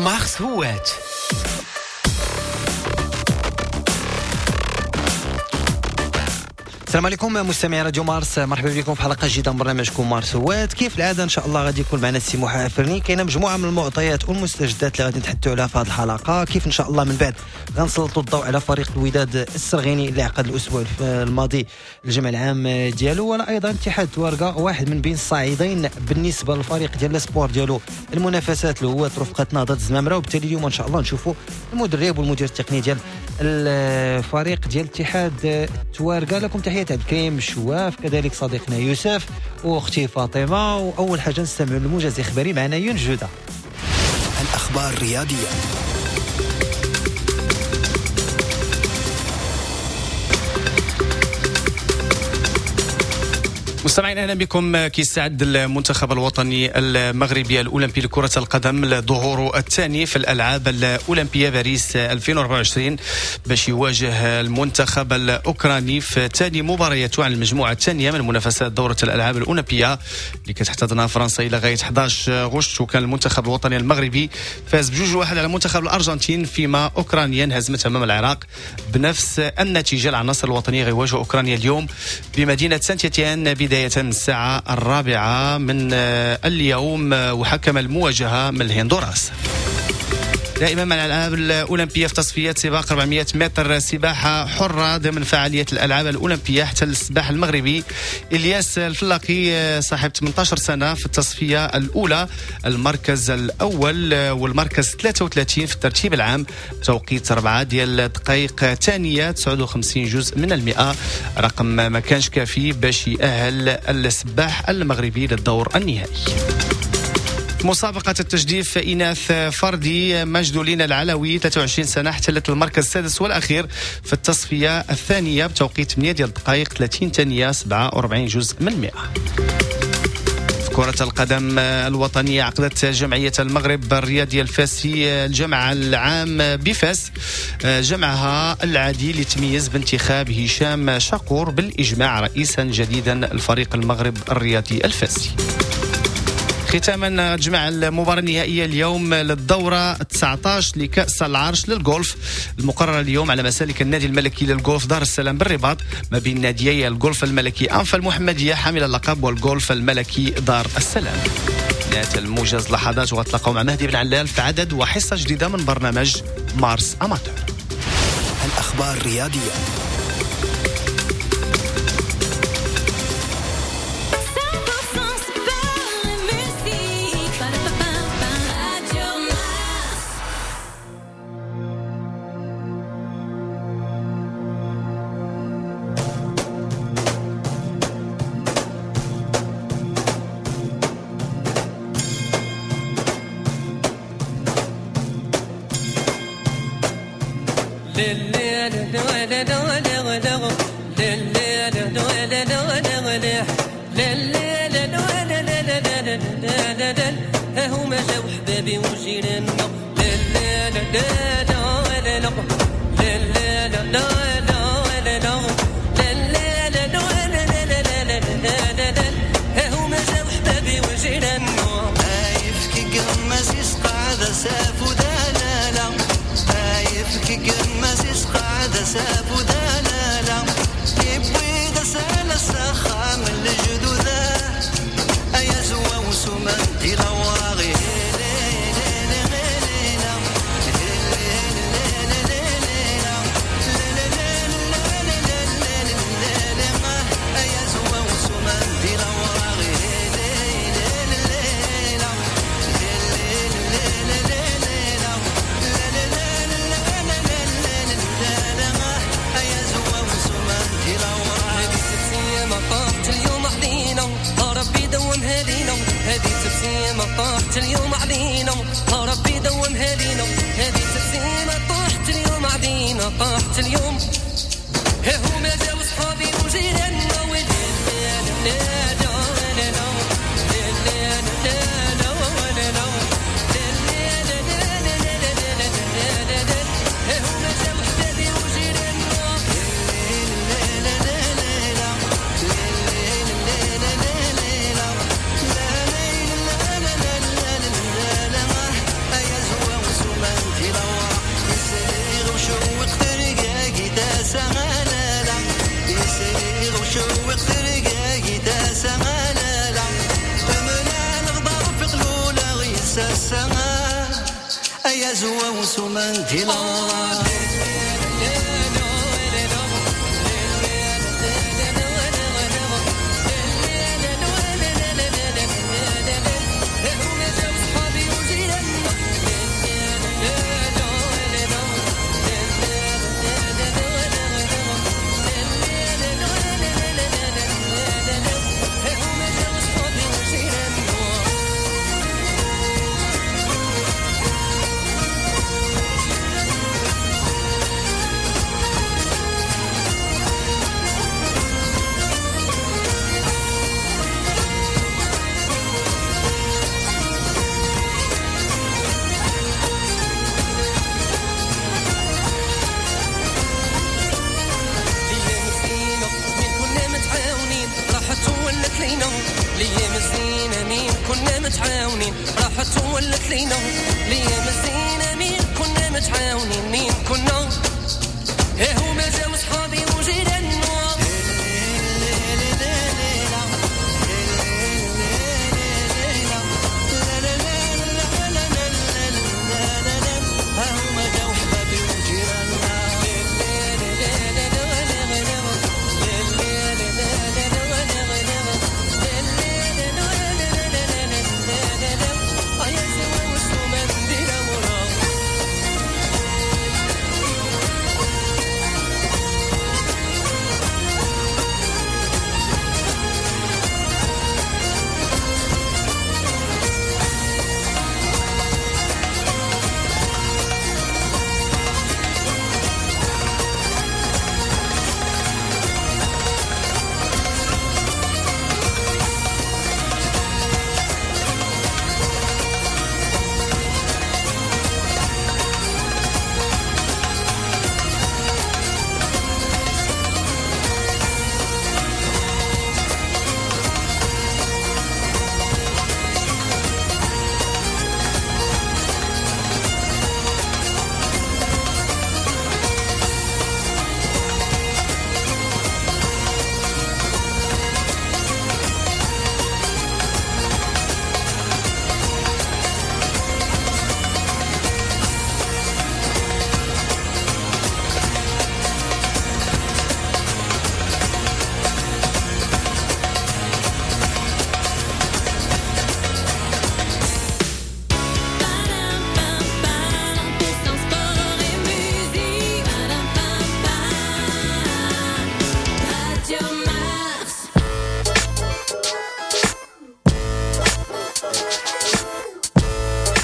مارس هوات. السلام عليكم مستمعي راديو مارس، مرحبا بكم في حلقة جديدة من برنامجكم مارس هوات. كيف العادة ان شاء الله غادي يكون معنا السي موحى افرني. كاينه مجموعة من المعطيات والمستجدات اللي غادي نتحدثوا عليها في هذه الحلقة. كيف ان شاء الله من بعد غنسلطوا الضوء على فريق الوداد السرغيني اللي عقد الاسبوع الماضي الجمع العام ديالو، ولا ايضا اتحاد تواركا واحد من بين الصاعدين بالنسبة للفريق ديال ال espoirs ديالو المنافسات اللي هو رفقه نهضة الزمامره. وبالتالي اليوم ان شاء الله نشوفوا المدرب والمدير التقني ديال الفريق ديال اتحاد تواركا. لكم تحية عبد الكريم شواف، كذلك صديقنا يوسف واختي فاطمة. واول حاجة نستمع للموجز الاخباري معنا يونس جوده. الاخبار الرياضية. مستمعين اهلا بكم. كيستعد المنتخب الوطني المغربي الاولمبي لكرة القدم لظهوره الثاني في الالعاب الاولمبية باريس 2024 باش يواجه المنتخب الاوكراني في ثاني مبارياته عن المجموعة الثانية من منافسات دوره الالعاب الاولمبية اللي كتحتضنها فرنسا الى غاية 11 غشت. وكان المنتخب الوطني المغربي فاز ب2-1 على منتخب الارجنتين، فيما اوكرانيا انهزمت امام العراق بنفس النتيجة. العناصر الوطنية غيواجهوا اوكرانيا اليوم بمدينة سانت إتيان بداية الساعة 4 من اليوم، وحكم المواجهة من الهندوراس. دائما مع الألعاب الأولمبية في تصفيات سباق 400 متر سباحة حرة ضمن فعالية الألعاب الأولمبية، احتل السباح المغربي إلياس الفلاقي صاحب 18 سنة في التصفية الأولى المركز الأول والمركز 33 في الترتيب العام بتوقيت 4 ديال دقائق ثانية 59 جزء من المئة، رقم ما كانش كافي باش يأهل السباح المغربي للدور النهائي. مسابقة التجديف إناث فردي، مجدولين العلوي 23 سنة احتلت المركز السادس والأخير في التصفية الثانية بتوقيت 8 ديال دقائق 30 ثانية 47 جزء من المئة. في كرة القدم الوطنية عقدت جمعية المغرب الرياضي الفاسي الجمع العام بفاس جمعها العادي لتميز بانتخاب هشام شاقور بالإجماع رئيسا جديدا لفريق المغرب الرياضي الفاسي. ختاما تجمع المباراة النهائية اليوم للدورة 19 لكأس العرش للجولف المقررة اليوم على مسالك النادي الملكي للجولف دار السلام بالرباط ما بين ناديي الجولف الملكي أنفا المحمدية حامل اللقب والجولف الملكي دار السلام. نهاية الموجز لحظات وغتلاقاو مع مهدي بن علال في عدد وحصة جديدة من برنامج مارس أماتور. الأخبار الرياضية. هما جاو حبابي وجيراننا لا لا لا لا لا لا لا لا لا لا لا لا لا لا هما جاو حبابي وجيراننا عايفك قماس قاعدة ساف ودلالة عايفك قماس قاعدة ساف ودلالة يبوي دسالة السخام الجدودة أيا زوا وسمان دي لوراغي طاحت اليوم علينا ربي دومها لينا هذه تبسيمة طاحت اليوم علينا طاحت اليوم ها هما جاو صحابي وجيراننا ولا لا لا لا لا لا لا لا لا لا ها هما جاو حبابي وجيراننا لا لا لا لا لا لا لا لا لا لا. السماء أيا زوا وسمان ديلا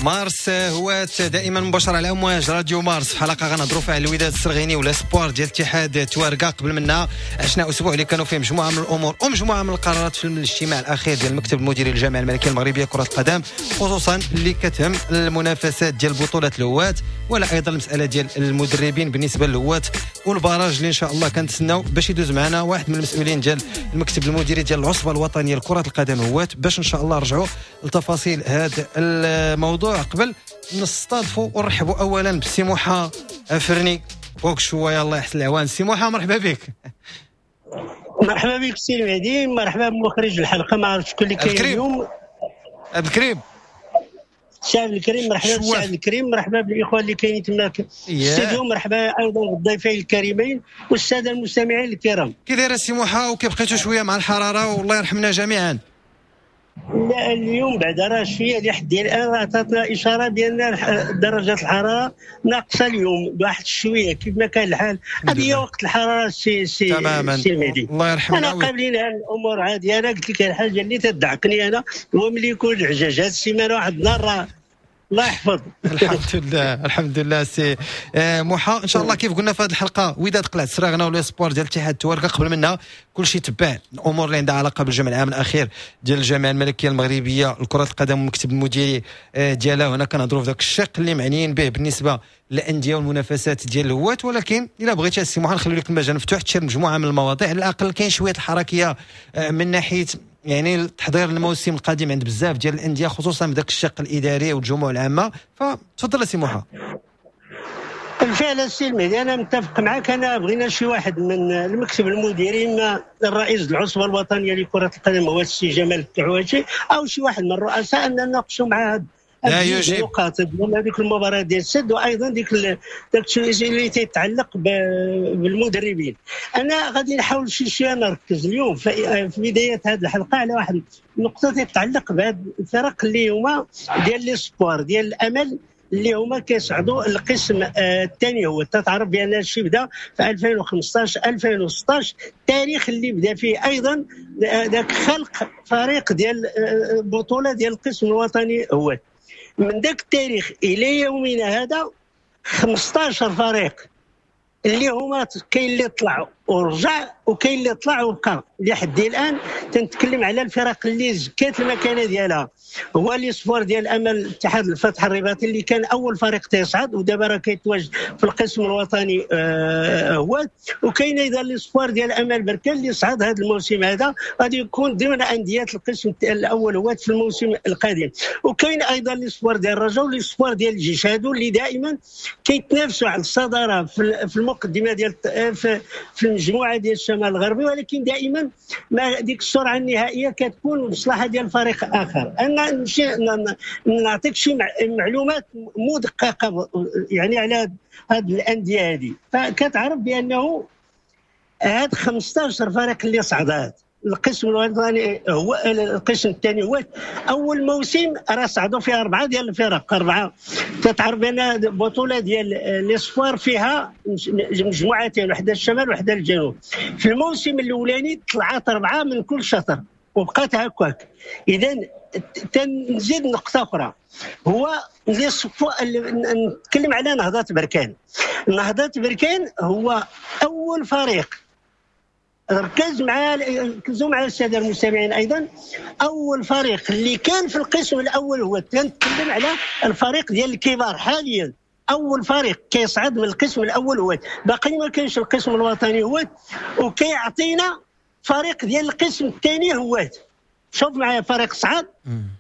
مارس هوات دائما مباشرة على امواج راديو مارس في حلقة غنهضروا فيها على الوداد السرغيني و les espoirs ديال اتحاد تواركا. قبل منا عشنا اسبوع اللي كانوا فيه مجموعة من الامور ومجموعة من القرارات في الاجتماع الاخير ديال المكتب المديري للجامعة الملكية المغربية كره القدم، خصوصا اللي كتهم المنافسات ديال بطوله الهوات ولا ايضا المسالة ديال المدربين بالنسبة للهوات وال barrage اللي ان شاء الله كنتسناو باش يدوز معنا واحد من المسؤولين ديال المكتب المديري ديال العصبة الوطنية لكرة القدم هوات باش ان شاء الله نرجعوا لتفاصيل هذا الموضوع. قبل نستضفوا ونرحبوا اولا بسي موحى افرني فوق شوية، الله يحسن العوان. سي موحى مرحبا بك. مرحبا بك سي المهدي، مرحبا بمخرج الحلقة، ما عرفت شكون اللي كاين اليوم. عبد الكريم. سي عبد الكريم مرحبا بسي عبد الكريم، مرحبا بالاخوة اللي كاينين تما في الاستوديو، مرحبا ايضا بالضيفين الكريمين والسادة المستمعين الكرام. كي داير السي موحى وكيف بقيتوا شوية مع الحرارة؟ والله يرحمنا جميعا. لا اليوم بعد راه شوية لحد الان راه عطاتنا اشارة بان درجه الحرارة ناقصه اليوم بواحد شوية كيف ما كان الحال. هذه هي وقت الحرارة سي سي سي المهدي. الله يرحمنا. انا قابلين هذه الامور عادي. انا قلت لك الحاجة اللي تدعقني انا هو ملي يكون العجاج هذه السيمانة واحد النهار راه الله يحفظ. الحمد لله الحمد لله سي موحى. ان شاء الله كيف قلنا في هذه الحلقة وداد قلعه السراغنه و les espoirs ديال اتحاد تواركه. قبل منها كلشي تبع الامور اللي عندها علاقة بالجمع العام الاخير ديال الجامعة الملكية المغربية لكرة القدم والمكتب المديري ديالها. هنا كنهضروا في ذاك الشق اللي معنيين به بالنسبة للاندية والمنافسات ديال الهوات، ولكن الا بغيتي السي موحى نخلي لك المجال مفتوح تشير مجموعة من المواضيع. على الاقل كاين شوية الحركية من ناحية يعني تحضير الموسم القادم عند بزاف ديال الاندية خصوصا بداك الشق الاداري والجموع العامة. فتفضل سي موحى. بالفعل السي المهدي انا متفق معك. انا بغينا شي واحد من المكتب المديري، اما الرئيس العصبة الوطنية لكرة القدم هو السي جمال الكعواشي، او شي واحد من الرؤساء، ان نناقشوا مع لا يجيب نقاط هذيك المباراة ديال السد، وايضا ديك داك اللي تيتعلق بالمدربين. انا غادي نحاول شي شوية نركز اليوم في بداية هذه الحلقة على واحد النقطة تتعلق بهاد الفرق اللي هما ديال les espoirs ديال الامل اللي هما كيصعدوا القسم الثاني. هو تتعرف بان الشيء بدا في 2015 2016، التاريخ اللي بدا فيه ايضا ذاك خلق فريق ديال بطوله ديال القسم الوطني. هو من ذاك التاريخ الى يومنا هذا 15 فريق اللي هما كاين اللي طلع ورجع وكاين اللي طلع وبقى لحد الان. تنتكلم على الفرق اللي زكات المكانة ديالها، هو les espoirs ديال امل اتحاد الفتح الرباطي اللي كان اول فريق تيصعد ودابا راه كيتواجد في القسم الوطني هو، وكاين ايضا les espoirs ديال امل بركان اللي صعد هذا الموسم هذا، غادي يكون ضمن اندية القسم الاول هو في الموسم القادم. وكاين ايضا les espoirs ديال الرجاء و les espoirs ديال الجيش، هادو اللي دائما كيتنافسوا على الصدارة في المقدمة ديال في المجموعة ديال الشمال الغربي، ولكن دائما ما ديك السرعة النهائية كتكون مصلحة ديال فريق اخر. انا نمشي نعطيك شي معلومات مدققه يعني على هاد الاندية هذه. فكتعرف بانه هاد 15 فريق اللي صعدات القسم الوطني هو القسم الثاني، هو اول موسم راه صعدوا فيها 4 ديال الفرق، 4. تتعرف بان بطوله ديال les espoirs فيها مجموعتين، وحده الشمال وحده الجنوب. في الموسم الاولاني طلعت 4 من كل شطر وبقات هكاك. اذا تنزيد نقطة اخرى، هو نتكلم على نهضة بركان. نهضة بركان هو اول فريق، ركزوا مع السادة المستمعين ايضا، اول فريق اللي كان في القسم الاول هو، كنتكلم على الفريق ديال الكبار حاليا، اول فريق كيصعد من القسم الاول هو، باقي ما كاينش القسم الوطني هو، وكيعطينا فريق ديال القسم الثاني هو. شوف معايا، فريق صعد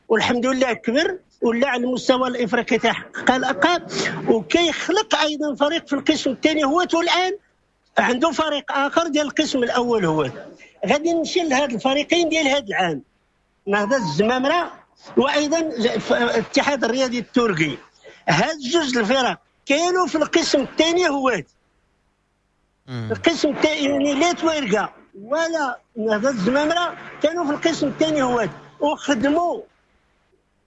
والحمد لله كبر ولا على المستوى الافريقي تحقق الالقاب، وكيخلق ايضا فريق في القسم الثاني هو، والان عنده فريق اخر ديال القسم الاول هو. غادي نمشي لهاد الفريقين ديال هاد العام، نهضة الزمامره وايضا الاتحاد الرياضي التركي. هاد جوج الفرق كانوا في القسم الثاني هو. القسم الثاني يعني لا توارقه ولا نهضة الزمامره كانوا في القسم الثاني هو، وخدموا،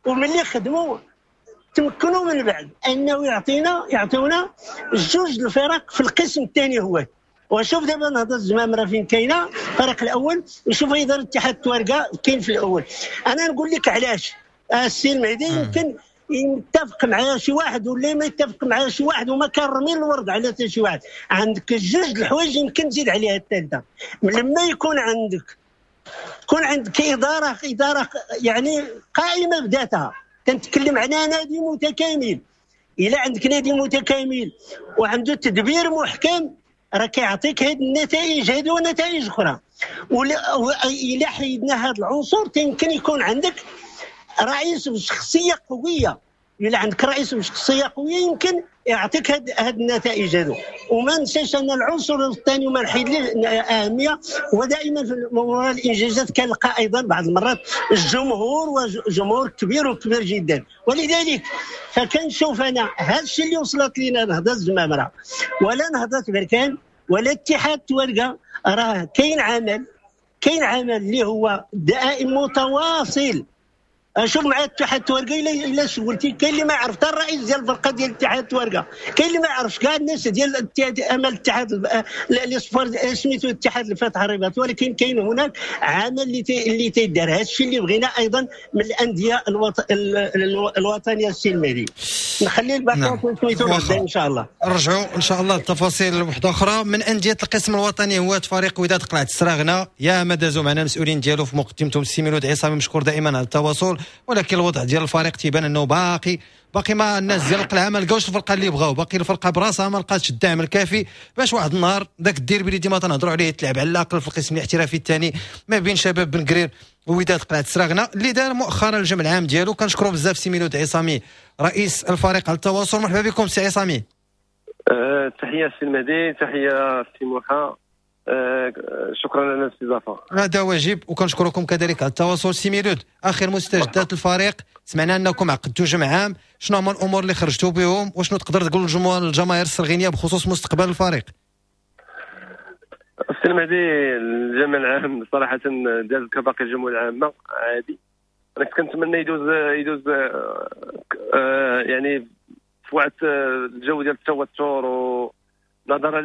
وملي خدموا تمكنوا من بعد انه يعطيونا جوج الفرق في القسم الثاني هو. وشوف دابا نهضة الزمامره فين كاينه الفريق الاول، وشوف ايضا الاتحاد التوارقه كاين في الاول. انا نقول لك علاش السي المهدي، يمكن يتفق معايا شي واحد ولا ما يتفق معايا شي واحد، وما كنرمي الورد على حتى شي واحد. عندك جوج الحوايج يمكن تزيد عليها الثالثة، لما يكون عندك ادارة يعني قائمة بذاتها. كنتكلم على نادي متكامل، الا عندك نادي متكامل وعنده تدبير محكم راه كيعطيك هاد النتائج هادو ونتائج اخرى. الا حيدنا هاد العنصر يمكن يكون عندك رئيس بشخصية قوية، الا عندك رئيس بشخصية قوية يمكن يعطيك هاد النتائج هادو. وما ننساش ان العنصر الثاني وما نحيد ليه اهمية، ودائما في موضوع الانجازات كنلقى ايضا بعض المرات الجمهور، وجمهور كبير وكبير جدا. ولذلك فكنشوف انا هذا الشيء اللي وصلت لنا نهضة الزمامره ولا نهضة بركان ولا اتحاد توارقه، راه كاين عمل اللي هو دائم متواصل. شوف مع اتحاد التوارقه، الا سولتي كاين اللي ما يعرف حتى الرئيس ديال الفرقة ديال اتحاد التوارقه، كاين اللي ما يعرفش كاع الناس ديال امل الاتحاد les espoirs سميتو اتحاد الفتح الرباط، ولكن كاين هناك عمل اللي تيدار. هذا الشيء اللي بغينا ايضا من الاندية الوطنية السي المهدي. نخلي الباقي سميتو غدا ان شاء الله، نرجعوا ان شاء الله للتفاصيل وحده اخرى. من اندية القسم الوطني هو فريق وداد قلعه السراغنه، يا ما دازوا معنا المسؤولين ديالو في مقدمتهم السي ميلود عصامي، مشكور دائما على التواصل، ولكن الوضع ديال الفريق تيبان انه باقي ما الناس ديال القلعة ما لقاوش الفرقة اللي بغاو، باقي الفرقة براسها ما لقاتش الدعم الكافي باش واحد النهار ذاك الديربي اللي ديما تنهضروا عليه يتلعب على الاقل في القسم الاحترافي الثاني ما بين شباب بن قرير ووداد قلعه السراغنه اللي دار مؤخرا الجمع العام ديالو. كنشكروا بزاف سي ميلود عصامي رئيس الفريق على التواصل. مرحبا بكم سي عصامي. تحية سي المهدي، تحية سي موحى. شكرا على الاستضافة. هذا واجب، وكنشكركم كذلك على التواصل. سي ميلود، اخر مستجدات الفريق، سمعنا انكم عقدتوا جمع عام، شنو هما الامور اللي خرجتوا بهم وشنو تقدر تقول للجماهير السرغينيه بخصوص مستقبل الفريق؟ السي المهدي، الجمع العام صراحة داز كباقي الجموع العامة عادي. انا كنت كنتمنى يدوز يعني في واحد الجو ديال التوتر، ونظرا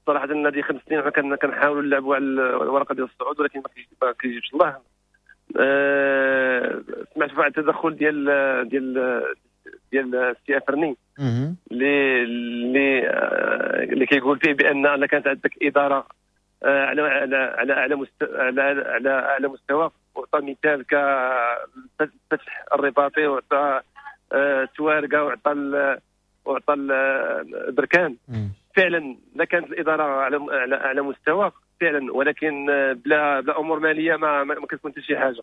صراحة النادي 5 سنين حنا كنحاولوا نلعبوا على الورقة ديال الصعود، ولكن ما كيجيبش الله. سمعت واحد التدخل ديال ديال ديال السي افرني اللي اللي كيقول فيه بان الا كانت عندك ادارة على على على على على على اعلى مستوى، وعطى مثال كالفتح الرباطي وعطى توارقه وعطى البركان. فعلا لا كانت الادارة على على اعلى مستوى فعلا، ولكن بلا امور ماليه ما كتكون حتى شي حاجة.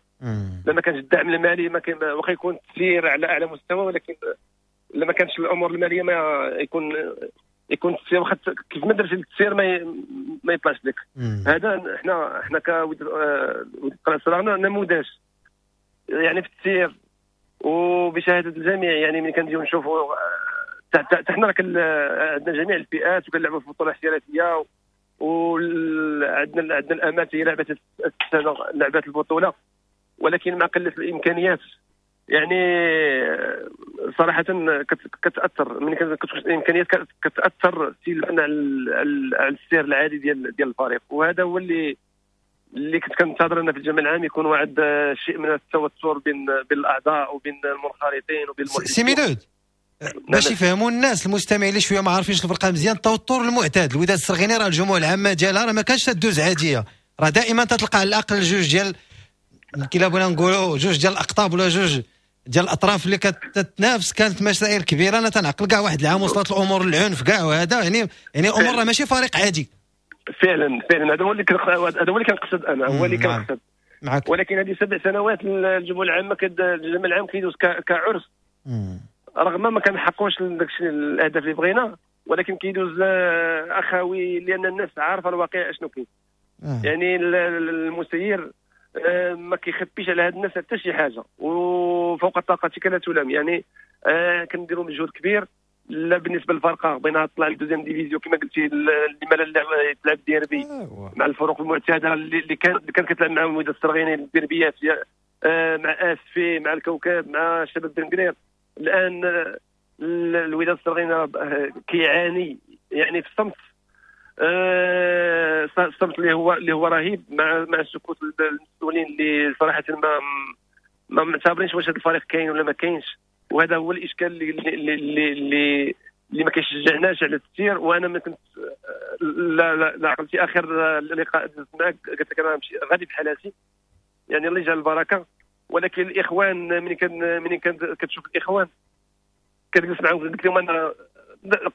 لا ما كانش الدعم المالي ما كاين، واخا يكون التسيير على اعلى مستوى، ولكن لا ما كانش الامور المالية ما يكون التسيير، واخا كيف ما درتي التسيير ما يطلعش لك. هذا حنا كوداد قلعه السراغنه نموذج يعني في التسيير وبشهاده الجميع. يعني ملي كنجيو نشوفوا حنا راه عندنا جميع الفئات وكنلعبوا في البطولة الاحترافية، وعندنا الامات هي لعبت السنة لعبت البطولة، ولكن مع قلة الامكانيات يعني صراحة كتاثر. ملي كتكون الامكانيات كتاثر سلبا على السير العادي ديال الفريق. وهذا هو اللي كنت كنتظر ان في الجمع العام يكون واحد شيء من التوتر بين الاعضاء وبين المنخرطين وبين المحيطين. سي ميلود، باش يفهموا الناس المستمعين اللي شوية ما عارفينش الفرقة مزيان، التوتر المعتاد الوداد السرغيني راه الجموع العامة ديالها راه ما كانش تدوز عادية، راه دائما تتلقى على الاقل جوج ديال كلا بغينا نقولوا جوج ديال الاقطاب ولا جوج ديال الاطراف اللي كتتنافس. كانت مسائل كبيرة، انا تنعقل كاع واحد العام وصلت الامور للعنف كاع، وهذا يعني امور راه ماشي فريق عادي. فعلا فعلا هذا هو اللي كنقصد انا، هو اللي كنقصد معك. ولكن هذه 7 سنوات الجموع العامة الجمع العام كيدوز كعرس، رغم ما كنحققوش داكشي الاهداف اللي بغينا، ولكن كيدوز اخوي، لان الناس عارفه الواقع اشنو كاين. يعني المسير ما كيخبيش على هاد الناس حتى شي حاجة، وفوق طاقتك لا تلام. يعني كنديروا مجهود كبير. لا بالنسبة للفرقة بغينا تطلع لل deuxième division كما قلتي، لما لا تلعب ديربي مع الفرق المعتادة اللي كان كتلعب معاهم الوداد السرغيني الديربيات، مع اسفي، مع الكوكب، مع شباب بن. الان الوداد السرغيني كيعاني يعني في الصمت، الصمت اللي هو رهيب، مع سكوت المسؤولين اللي صراحة ما معتبرينش واش هذا الفريق كاين ولا ما كاينش. وهذا هو الاشكال اللي اللي اللي, اللي ما كيشجعناش على التسيير. وانا ما كنت لا لا, لا عقلتي اخر لقاء معك قلت لك انا مشي غادي بحالاتي، يعني الله يجعل البركة. ولكن الاخوان ملي كان كتشوف الاخوان كتجلس معاهم، قلت لهم انا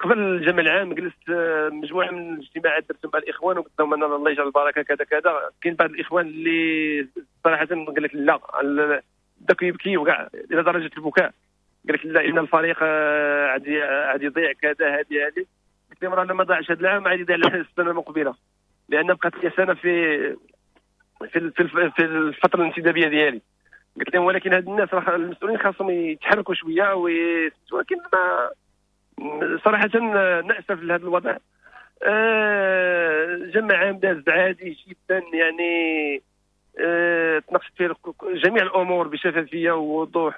قبل الجمع العام جلست مجموعة من الاجتماعات درت مع الاخوان، وقلت لهم انا الله يجعل البركة كذا كذا. كاين بعض الاخوان اللي صراحة قال لك لا، داك يبكي وكاع الى درجه البكاء، قال لك لا ان الفريق عادي يضيع كذا هذه. قلت لهم راه ما ضاعش هذا العام عادي يضيع السنة المقبلة، لان بقات لي سنة في في في الفترة الانتدابيه ديالي. قلت لهم ولكن هاد الناس راه المسؤولين خاصهم يتحركوا شوية، ولكن ما صراحة ناسف لهذا الوضع. جمع عام داز عادي جدا، يعني تناقشت فيه جميع الامور بشفافيه ووضوح،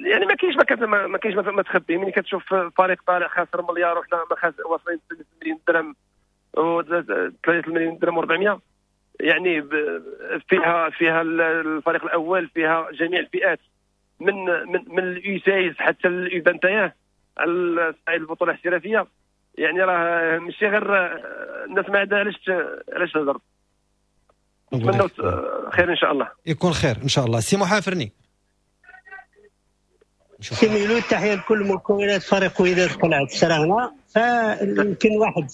يعني ما كاينش ما كاينش ما تخبي. ملي كتشوف فريق طالع خاسر مليار وحنا واصلين 3 مليون درهم و 3 مليون درهم و400، يعني فيها الفريق الاول، فيها جميع الفئات من من من ال U 16 حتى ال U 21 على صعيد البطولة الاحترافية. يعني راه ماشي غير الناس ما عندها علاش تهضر. نتمنى خير ان شاء الله، يكون خير ان شاء الله. سي محافرني، سي ميلود، تحية لكل مكونات فريق وداد قلعه السراغنه. فيمكن واحد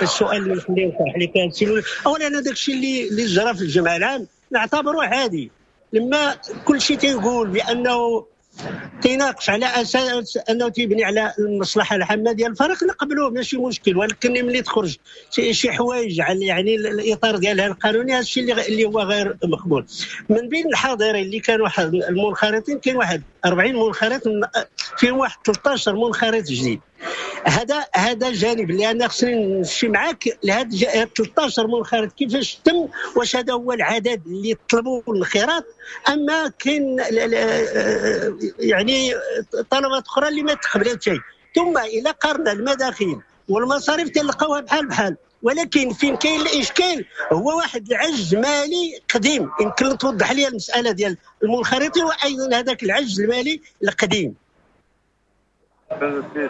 السؤال اللي نخليه يطرح لك سي ميلود، اولا انا داك الشيء اللي جرى في الجمع العام نعتبره عادي. لما كل شيء تيقول بانه تيناقش على اساس انه تيبني على المصلحة العامة ديال الفريق نقبلوه ماشي مشكل، ولكن ملي تخرج شي حوايج على يعني الاطار ديالها القانوني هذا الشيء اللي هو غير مقبول. من بين الحاضرين اللي كانوا المنخرطين كاين واحد 40 منخرط، فيهم واحد 13 منخرط جديد. هذا جانب، لان خصني نمشي معاك لهاد 13 منخرط كيفاش تم، واش هذا هو العدد اللي طلبوا الانخراط، اما كاين يعني طلبات اخرى اللي ما تقبلتش. ثم الى قارنا المداخيل والمصاريف تلقاوها بحال بحال، ولكن فين كاين الاشكال هو واحد العجز مالي قديم. يمكن توضح لي المسالة ديال المنخرطين وايضا هذاك العجز المالي القديم.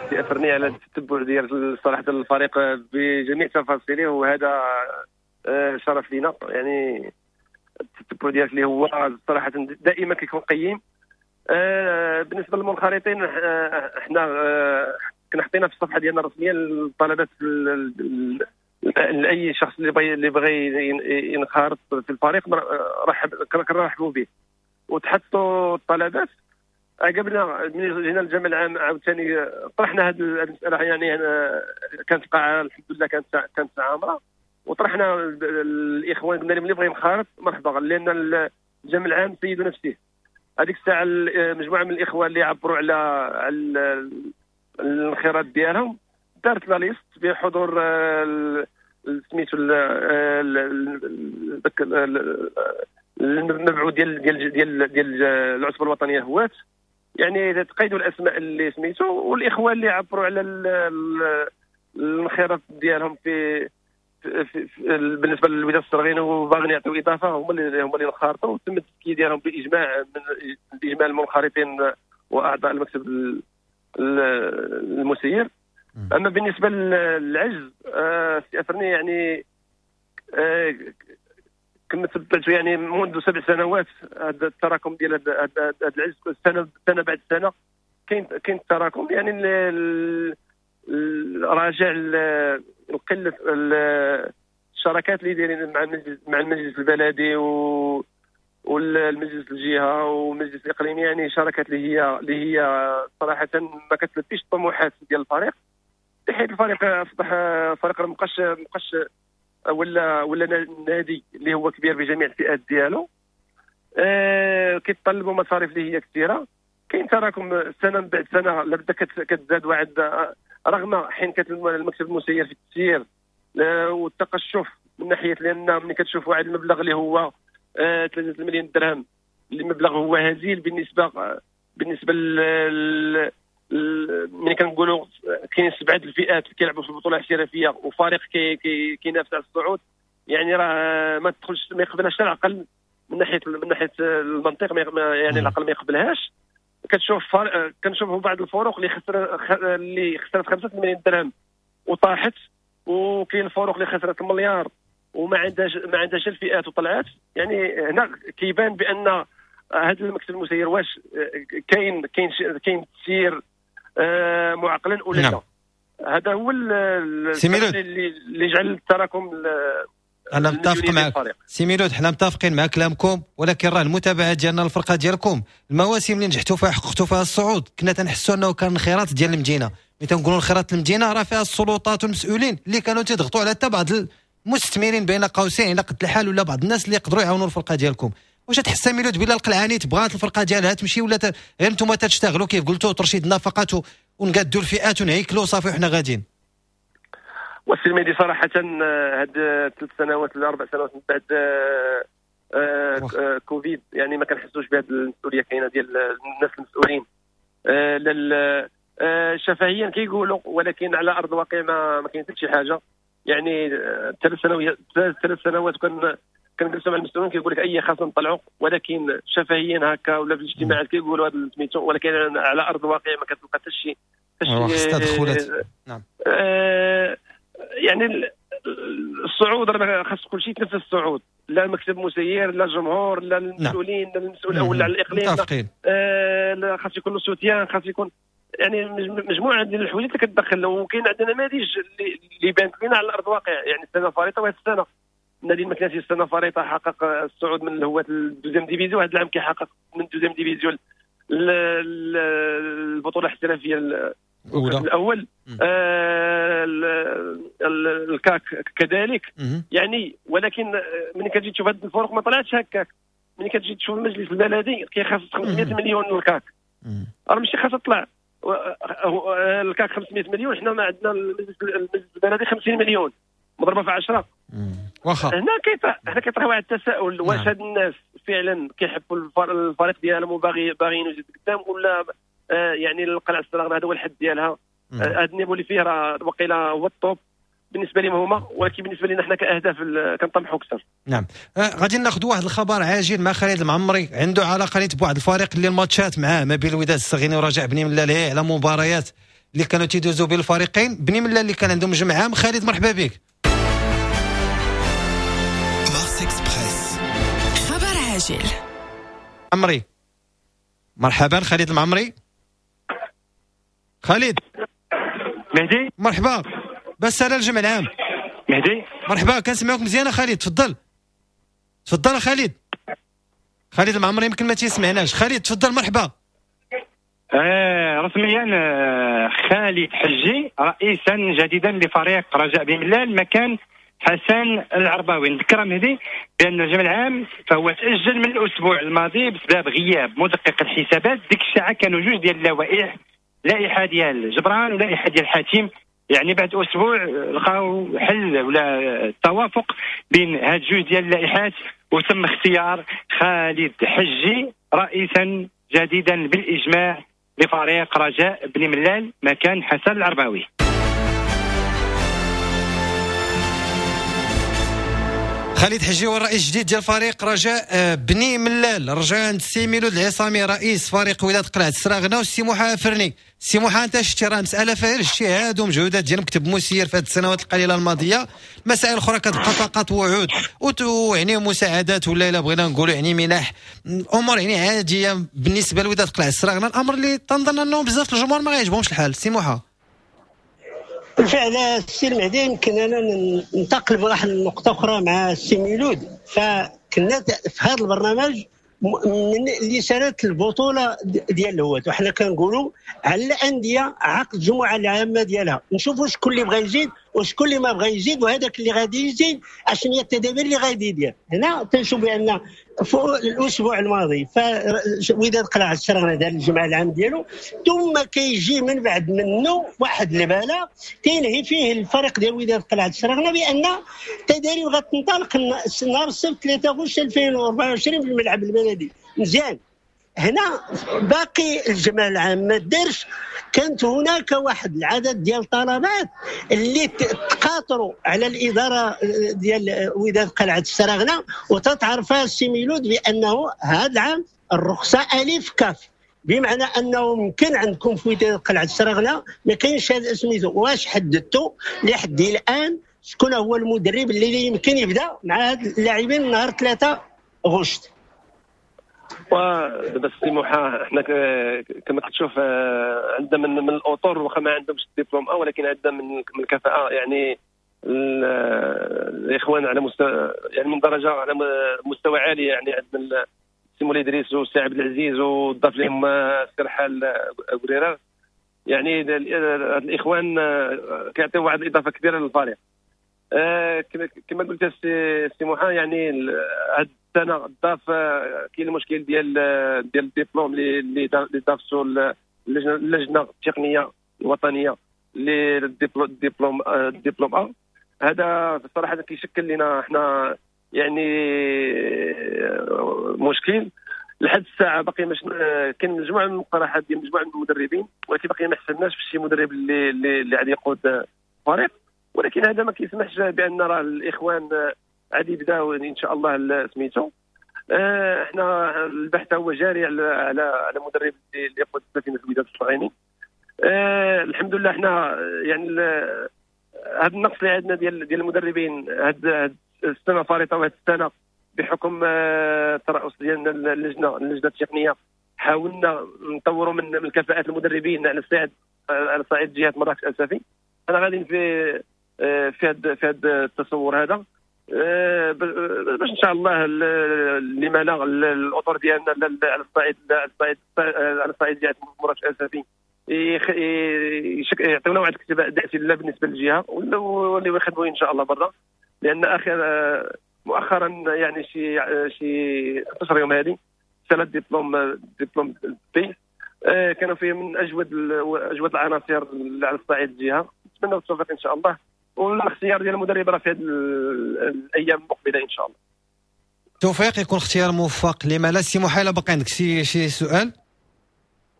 سي افرني على التتبع ديال صراحة الفريق بجميع تفاصيله، وهذا شرف لينا. يعني التتبع ديالك اللي هو صراحة دائما كيكون قيم. بالنسبة للمنخرطين احنا كنا حطينا في الصفحة ديالنا الرسمية الطلبات لاي شخص اللي بغى ينخرط في الفريق كنرحبوا به، وتحطوا الطلبات. عقبنا ملي جينا للجمع العام عاوتاني طرحنا هذه المسالة، يعني كانت القاعة الحمد لله كانت عامرة، وطرحنا الاخوان قلنا لهم اللي بغى ينخرط مرحبا، لان الجمع العام سيد نفسه. هذيك الساعة مجموعة من الاخوان اللي عبروا على الانخراط ديالهم، دارت la liste بحضور سميتو المبعوث ديال ديال ديال ديال العصبة الوطنية هوات، يعني تقيدوا الاسماء اللي سميتو، والاخوان اللي عبروا على الانخراط ديالهم في بالنسبة للوداد الصغيرين وباغيين يعطيو اضافه، هما اللي انخرطوا، وتم التزكية ديالهم باجماع من باجماع المنخرطين واعضاء المكتب المسير. اما بالنسبة للعجز سي افرني، يعني كما تبعت يعني منذ 7 سنوات هذا التراكم ديال هذا العجز، سنة بعد سنة كاين التراكم، يعني راجع قلة الشراكات اللي دايرين مع المجلس البلدي والمجلس الجهة والمجلس الاقليمي، يعني شراكات اللي هي صراحة ما كتلبيش الطموحات ديال الفريق، بحيث الفريق اصبح فريق مابقاش ولا نادي اللي هو كبير بجميع الفئات ديالو. كيتطلبوا مصاريف اللي هي كثيرة، كاين تراكم سنة من بعد سنة لابد كتزاد واحد، رغم حين المكتب المسير في التسيير والتقشف من ناحية، لان ملي كتشوف واحد المبلغ اللي هو 3 مليون درهم، اللي مبلغ هو هزيل بالنسبة ملي كنقولوا كاين 7 الفئات اللي كيلعبوا في البطولة الاحترافية وفريق كينافس على الصعود، يعني راه ما تدخلش، ما يقبلهاش العقل من ناحية المنطق، يعني العقل ما يقبلهاش. كنشوفوا بعض الفروق اللي خسرت 5 مليون درهم وطاحت، وكاين الفروق اللي خسرت المليار وما عندهاش الفئات وطلعت. يعني هنا كيبان بان هذا المكتب المسير واش كاين كاين تسيير معقلا ولا لا. هذا هو اللي جعل التراكم. انا متفق معك سي ميلود، حنا متفقين مع كلامكم، ولكن راه المتابعة ديالنا الفرقة ديالكم المواسم اللي نجحتوا فيها حققتوا فيها الصعود، كنا تنحسوا انه كان الخيرات ديال المدينة. ملي تنقولوا الخيرات المدينة راه فيها السلطات والمسؤولين اللي كانوا تيضغطوا على حتى بعض المستثمرين بين قوسين على قد الحال، ولا بعض الناس اللي يقدروا يعاونوا الفرقة ديالكم. واش تحس ميلود بلا القلعاني بغات الفرقة ديالها تمشي، ولا غير نتوما تشتغلوا كيف قلتوا ترشيد النفقات ونقادوا الفئات ونهيكلوا صافي وحنا غاديين؟ والسي المهدي صراحة هاد 3 سنوات ولا 4 سنوات من بعد كوفيد، يعني ما كنحسوش بهاد المسؤولية كاينه ديال الناس المسؤولين شفهيا كيقولوا، ولكن على ارض الواقع ما كاين حتى شي حاجة. يعني 3 سنوات كنجلسوا مع المسؤولين كيقول لك اي خاصنا نطلعوا، ولكن شفهيا هكا ولا في الاجتماعات كيقولوا هذا سميتو، ولكن على ارض الواقع ما كتلقى حتى شي تدخلات. نعم. يعني الصعود راه خاص كل شيء يتنفس الصعود، لا المكتب المسير لا الجمهور لا المسؤولين لا المسؤول الاول على الاقليم، لا خاص يكون له سوتيان، خاص يكون يعني مجموعة ديال الحوايج اللي كتدخل. وكاين عندنا نماذج اللي بانت لنا على الارض الواقع، يعني السنة الفارطه وهذه السنة النادي المكناسي السنة الفارطه حقق الصعود من الهواة لل deuxième division، هذا العام كيحقق من ال deuxième division البطولة الاحترافية الاول، الكاك كذلك. يعني ولكن ملي كتجي تشوف هاد الفرق ما طلعتش هكاك. ملي كتجي تشوف المجلس البلدي كيخصص 500 مليون للكاك، راه ماشي خاصها تطلع الكاك 500 مليون، حنا ما عندنا المجلس البلدي 50 مليون مضربه في 10. واخا هنا كيطرح واحد التساؤل، واش هاد الناس فعلا كيحبوا الفريق ديالهم وباغيين يزيد قدام، ولا يعني القلعة السراغنة هذا هو الحد ديالها، هذا ال niveau اللي فيه راه وقيلا هو ال top بالنسبة لهم هما، ولكن بالنسبة لنا حنا كاهداف كنطمحوا اكثر. نعم، غادي ناخذ واحد الخبر عاجل مع خالد المعمري، عنده علاقة نيت بواحد الفريق اللي الماتشات معاه ما بين الوداد الصغيري ورجاء بني ملال على مباريات اللي كانوا تيدوزوا بين الفريقين. بني ملال اللي كان عندهم جمع عام. خالد مرحبا بك. مارس اكسبريس، خبر عاجل. عمري مرحبا خالد المعمري. خالد مهدي مرحبا، بس على الجمع العام. مهدي مرحبا، كنسمعوك مزيان خالد، تفضل تفضل خالد. خالد المعمري يمكن ما تيسمعناش. خالد تفضل مرحبا. رسميا خالد حجي رئيسا جديدا لفريق رجاء بني ملال مكان حسن العرباوي. نذكر مهدي بان الجمع العام فهو تاجل من الاسبوع الماضي بسبب غياب مدقق الحسابات. ديك الساعة كانوا جوج ديال اللوائح، لائحة ديال جبران ولائحه ديال حاتم. يعني بعد اسبوع لقاو حل ولا توافق بين هاد جوج ديال اللائحات، وتم اختيار خالد حجي رئيسا جديدا بالاجماع لفريق رجاء بني ملال مكان حسن العرباوي. خالد حجي هو الرئيس الجديد ديال فريق رجاء بني ملال. رجع عند السي ميلود العصامي رئيس فريق وداد قلعة السراغنة والسي موحى فرني. السي موحى انت شتي راه مسالة فيها اجتهاد ومجهودات ديال مكتب مسير في هذه السنوات القليلة الماضية. مسائل اخرى كتبقى فقط وعود ويعني مساعدات ولا الا بغينا نقولوا يعني منح، امور يعني عادية بالنسبة لوداد قلعة السراغنة. الامر اللي تنظن انه بزاف الجمهور ما غيعجبهمش الحال. السي موحى بالفعل السي المهدي، يمكن انا ننتقل بواحد النقطة اخرى مع السي ميلود. فكنا في هذا البرنامج من اللي سالت البطولة ديال الهواة، وحنا كنقولوا على الاندية عقد الجمعة العامة ديالها، نشوفوا شكون اللي بغى يزيد وشكون اللي ما بغى يزيد، وهذاك اللي غادي يزيد اشنو هي التدابير اللي غادي يدير. هنا تنشوف بان في الاسبوع الماضي وداد قلعة السراغنة دار الجمعة العام ديالو، ثم كيجي من بعد منه واحد البلاغ كينهي فيه الفريق ديال وداد قلعة السراغنة بان التداريب غتنطلق نهار السبت 3 غشت 2024 في الملعب البلدي. مزيان، هنا باقي الجمع العام ما دارش. كانت هناك واحد العدد ديال الطلبات اللي تقاطروا على الادارة ديال وداد قلعه السراغنه، وتتعرفها السي ميلود بانه هذا العام الرخصة الف كاف، بمعنى انه ممكن عندكم في وداد قلعه السراغنه ما كاينش هذا سميتو. واش حددتوا لحد الان شكون هو المدرب اللي يمكن يبدا مع هاد اللاعبين نهار 3 غشت؟ ودابا السي موحى حنا كما كتشوف عندنا من الاطر واخا ما عندهمش الدبلوم ولكن عندنا من الكفاءة، يعني الاخوان على مستوى يعني من درجه على مستوى عالي، يعني عندنا السي مولاي ادريس والسي عبد العزيز وضاف لهم السرحال قريره، يعني الاخوان كيعطيو واحد الاضافة كبيرة للفريق. كما قلت السي موحى، يعني هاد السنة ضاف كاين المشكل ديال الدبلوم اللي ضافتو اللجنة التقنية الوطنية للدبلوم الدبلوم ا. هذا بصراحة كيشكل لنا حنا يعني مشكل لحد الساعة. باقي مش كاين مجموعة من المقترحات ديال مجموعة من المدربين، ولكن باقي ما حسبناش في شي مدرب اللي غادي يقود الفريق، ولكن هذا ما كيسمحش بان راه الاخوان غادي يبداو ان شاء الله سميتو. احنا البحث هو جاري على على مدرب اللي يقود سفينة الوداد الصغيري. الحمد لله احنا يعني هذا النقص اللي عندنا ديال المدربين هاد السنة فارطه، وهاد السنة بحكم الترأس ديالنا اللجنة التقنية حاولنا نطوروا من الكفاءات المدربين على صعيد جهة مراكش اسفي. انا غادي في هذا التصور هذا. باش ان شاء الله لما لا الاطر ديالنا على الصعيد على الصعيد ديال مراكش اسفي يعطيونا واحد الاكتفاء ذاتي لا بالنسبة للجهة واللي يخدموا ان شاء الله برا، لان اخر مؤخرا يعني شي 16 يوم هذه سنة diplôme B كانوا فيه من اجود العناصر على الصعيد الجهة. نتمنى التوفيق ان شاء الله، والاختيار ديال المدرب راه في هذه الايام المقبلة ان شاء الله. التوفيق يكون اختيار موفق. لما لا سي محايله باقي عندك شي سؤال؟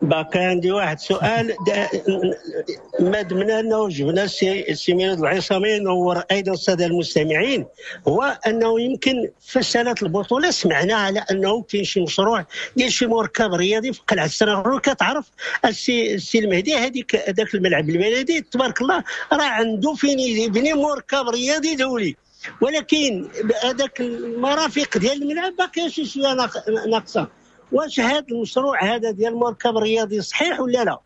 باقي عندي واحد سؤال. ما دمنا انه جبنا السي ميلود العصامي نور ايضا السادة المستمعين، هو انه يمكن في سنة البطولة سمعنا على انه كاين شي مشروع ديال شي مركب رياضي في قلعه السراغنة. كتعرف السي المهدي هذيك هذاك الملعب البلدي تبارك الله راه عنده فين يبني مركب رياضي دولي، ولكن هذاك المرافق ديال الملعب باقي شي شوية ناقصه. واش هذا المشروع هذا ديال المركب الرياضي صحيح ولا لا؟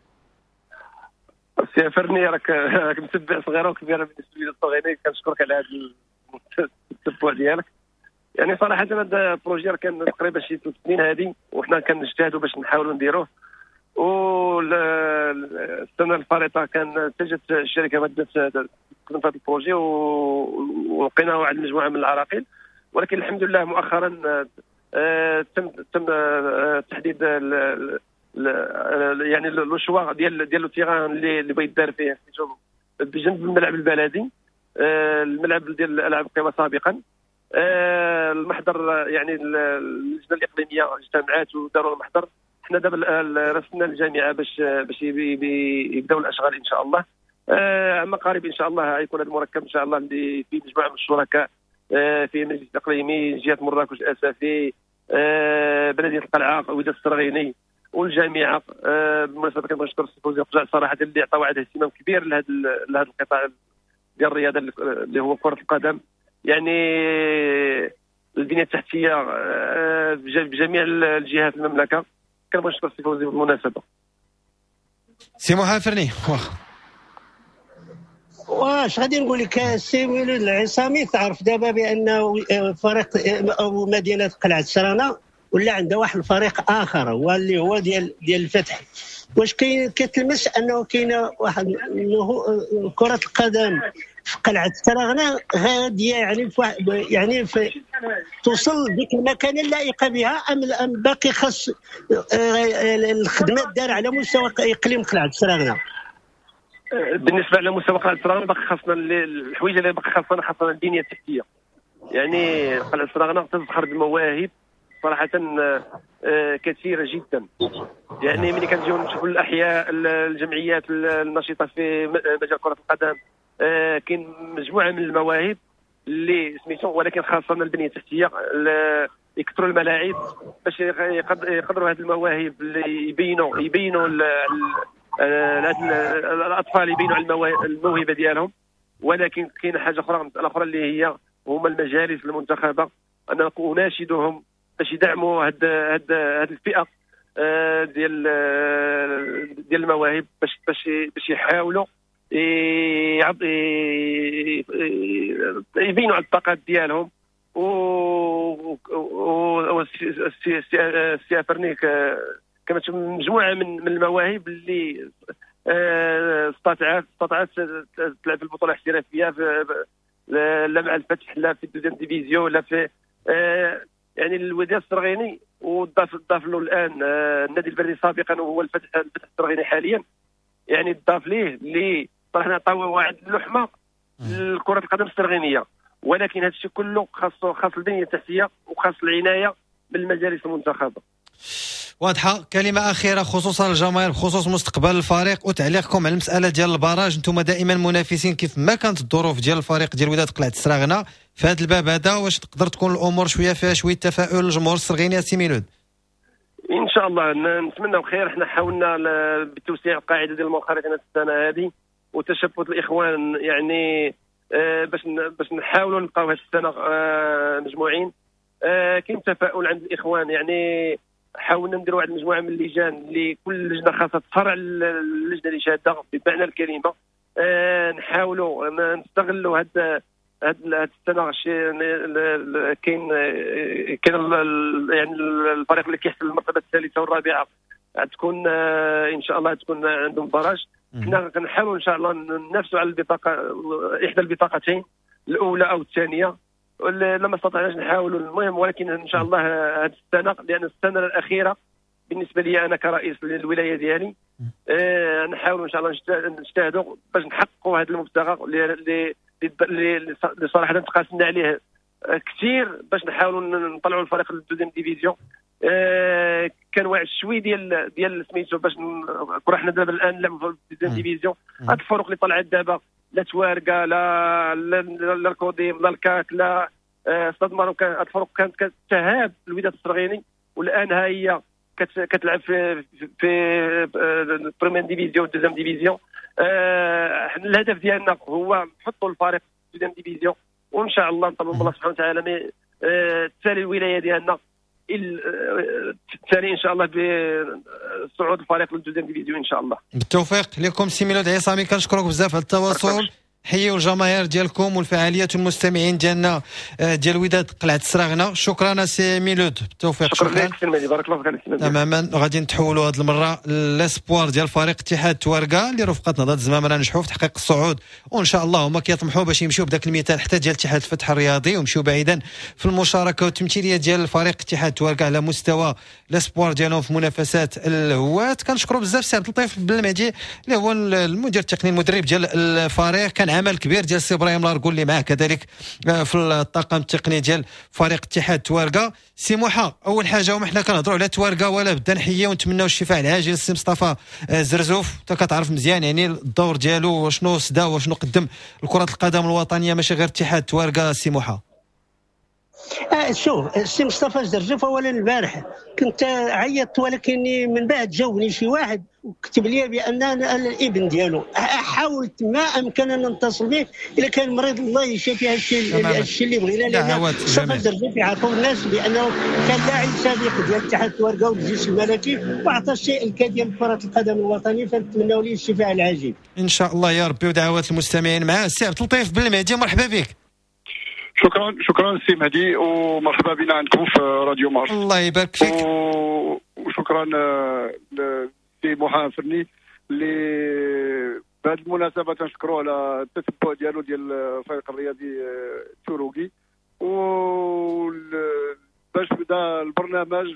سي فرني راك متبع صغيرة وكبيره بالنسبة لي الصغيرين، كنشكرك على هذا التتبع ديالك. يعني صراحة هذا ال projet كان تقريبا شي 3 سنين هذه وحنا كنجتهدوا باش نحاولوا نديروه، والسنة الفارطه كان اتجهت الشركة بدات تخدم في هذا ال projet ولقينا واحد المجموعة من العراقيل، ولكن الحمد لله مؤخرا تم تحديد يعني le choix ديال le terrain اللي بغيت يدار فيه بجنب الملعب البلدي، الملعب ديال الالعاب القوى سابقا. المحضر يعني اللجنة الاقليمية اجتمعات وداروا المحضر. حنا دابا رسلنا الجامعة باش يبداو الاشغال ان شاء الله. عما قريب ان شاء الله غيكون هذا المركب ان شاء الله اللي فيه مجموعة من الشركاء، فيه مجلس اقليمي جهة مراكش اسفي، بلديه القلعة وداد السرغيني والجامعة. بالمناسبة كنبغي نشكر السي فوزي القجع صراحة اللي عطى واحد الاهتمام كبير لهذا القطاع ديال الرياضة اللي هو كره القدم. يعني البنية التحتية بجميع الجهات المملكة. كنبغي نشكر السي فوزي بالمناسبة. سي محافرني واش غادي نقول لك السي ميلود العصامي، تعرف دابا بانه فريق او مدينة قلعه السرانه ولا عندها واحد الفريق اخر هو اللي هو ديال الفتح. واش كاين كتلمس انه كاينه واحد كره القدم في قلعه السراغنه غادية يعني في توصل ديك المكانة اللائقة بها ام باقي خاص الخدمة دار على مستوى اقليم قلعه السراغنه؟ بالنسبة على مستوى قلعه السراغنه باقي خاصنا الحوايج اللي باقي خاصنا البنية التحتية. يعني قلعه السراغنه تزخر بمواهب صراحة كثيرة جدا. يعني ملي كنجيو نشوفوا الاحياء الجمعيات النشيطه في مجال كره القدم كاين مجموعة من المواهب اللي سميتو، ولكن خاصة البنية التحتية يكثروا الملاعب باش يقدروا هذه المواهب اللي يبينوا الاطفال يبينوا على الموهبة ديالهم. ولكن كاين حاجة اخرى، مسالة اخرى اللي هي هما المجالس المنتخبه، انا اناشدهم باش يدعموا هاد الفئة ديال المواهب باش يحاولوا يبينوا على الطاقات ديالهم. و السي فرنيك كما تشوف مجموعة من المواهب اللي استطاعت تلعب في البطولة الاحترافية، لا مع الفتح لا في ال deuxième division لا في يعني الوداد السرغيني، وضاف له الان النادي البلدي سابقا وهو الفتح السرغيني حاليا. يعني ضاف ليه اللي صراحة عطاو واحد اللحمة لكرة القدم السرغينيه. ولكن هذا الشيء كله خاص البنية التحتية وخاص العناية بالمجالس المنتخبه. واضحة. كلمة اخيرة خصوصا الجماهير بخصوص مستقبل الفريق وتعليقكم على المسالة ديال ال barrage. انتم دائما منافسين كيف ما كانت الظروف ديال الفريق ديال وداد قلعه السراغنه في هذا الباب هذا، واش تقدر تكون الامور شوية فيها شوية تفاؤل الجمهور السرغيني سي ميلود؟ ان شاء الله نتمنوا خير. حنا حاولنا بتوسيع القاعدة ديال المنخرطين السنة هذه وتشبث الاخوان، يعني باش نحاولوا نبقاو هذه السنة مجموعين. كاين تفاؤل عند الاخوان، يعني حاولنا نديروا واحد المجموعة من اللجان اللي كل لجنة خاصها تفرع اللجنة اللي شاده بمعنى الكلمة. نحاولوا نستغلوا هاد هاد السنة كاين يعني الفريق اللي كيحتل المرتبة الثالثة والرابعة تكون ان شاء الله تكون عندهم barrage. حنا كنحاولوا ان شاء الله ننافسوا على البطاقة، احدى البطاقتين الاولى او الثانية، لما استطعناش نحاولوا المهم، ولكن ان شاء الله هذه السنة، لان السنة الاخيرة بالنسبة لي انا كرئيس للولاية ديالي، نحاولوا ان شاء الله نجتهدوا باش نحققوا هذا المبتغى اللي صراحة تقاسمنا عليه كثير، باش نحاولوا نطلعوا الفريق لل deuxième division. كان واعد شوي ديال سميتو باش كنا حنا دابا الان نلعبوا في ال deuxième division. هاد الفرق اللي طلعت دابا، لا تواركه لا لا لا الكوديم لا الكاك لا Stade Marocain، هاد الفرق كانت كتهاب الوداد السرغيني، والان ها هي كتلعب في première division deuxième division. الهدف ديالنا هو نحطوا الفريق في deuxième division، وان شاء الله نطلبوا من الله سبحانه وتعالى تسالي الولاية ديالنا الثاني ان شاء الله بصعود الفريق لل deuxième division ان شاء الله. بالتوفيق لكم سي ميلود عصامي، كنشكرك بزاف على التواصل. حيوا الجماهير ديالكم والفعاليات والمستمعين ديالنا ديال وداد قلعه السراغنه. شكرا سي ميلود، بالتوفيق. شكرا لك سي المهدي، بارك الله فيك. تماما، غادي نتحولوا هذه المرة l'espoir ديال فريق اتحاد تواركا اللي رفقه نهضة الزمامره نجحوا في تحقيق الصعود، وان شاء الله هما كيطمحوا باش يمشيو بداك المثال حتى ديال اتحاد الفتح الرياضي ويمشيو بعيدا في المشاركة والتمثيليه ديال الفريق اتحاد تواركا على مستوى l'espoir ديالهم في منافسات الهواة. كنشكروا بزاف سي عبد اللطيف بالمهدي اللي هو المدير التقني المدرب ديال الفريق، كان عمل كبير ديال سي ابراهيم لاركو اللي معاه كذلك في الطاقم التقني ديال فريق اتحاد تواركا. سي موحى، اول حاجة وما حنا كنهضروا على تواركا ولا بدا نحيي ونتمناو الشفاء العاجل للسي مصطفى زرزوف، انت كتعرف مزيان يعني الدور ديالو وشنو سدا وشنو قدم لكرة القدم الوطنية ماشي غير اتحاد تواركا. سي موحى، شوف السي مصطفى زرزوف، اولا البارح كنت عيطت ولكن من بعد جاوبني شي واحد وكتب لي بان الابن ديالو، حاولت ما امكن ان نتصل به، الا كان مريض الله يشافيه. هادشي اللي بغينا، لان مصطفى زرزوف يعرفوا الناس بانه كان لاعب سابق ديال اتحاد تواركا والجيش الملكي واعطى الشيء الكثير لكرة القدم الوطنية، فنتمناو ليه الشفاء العاجل ان شاء الله يا ربي، ودعوات المستمعين معاه. السي عبد اللطيف بالمهدي، مرحبا بك. شكرا شكرا سي مهدي، ومرحبا بنا عندكم في راديو مارس. الله يبارك فيك. وشكرا سي موحى فرني اللي بهذه المناسبة تنشكروه على التتبع ديالو ديال الفريق الرياضي التوروكي، و باش بدا البرنامج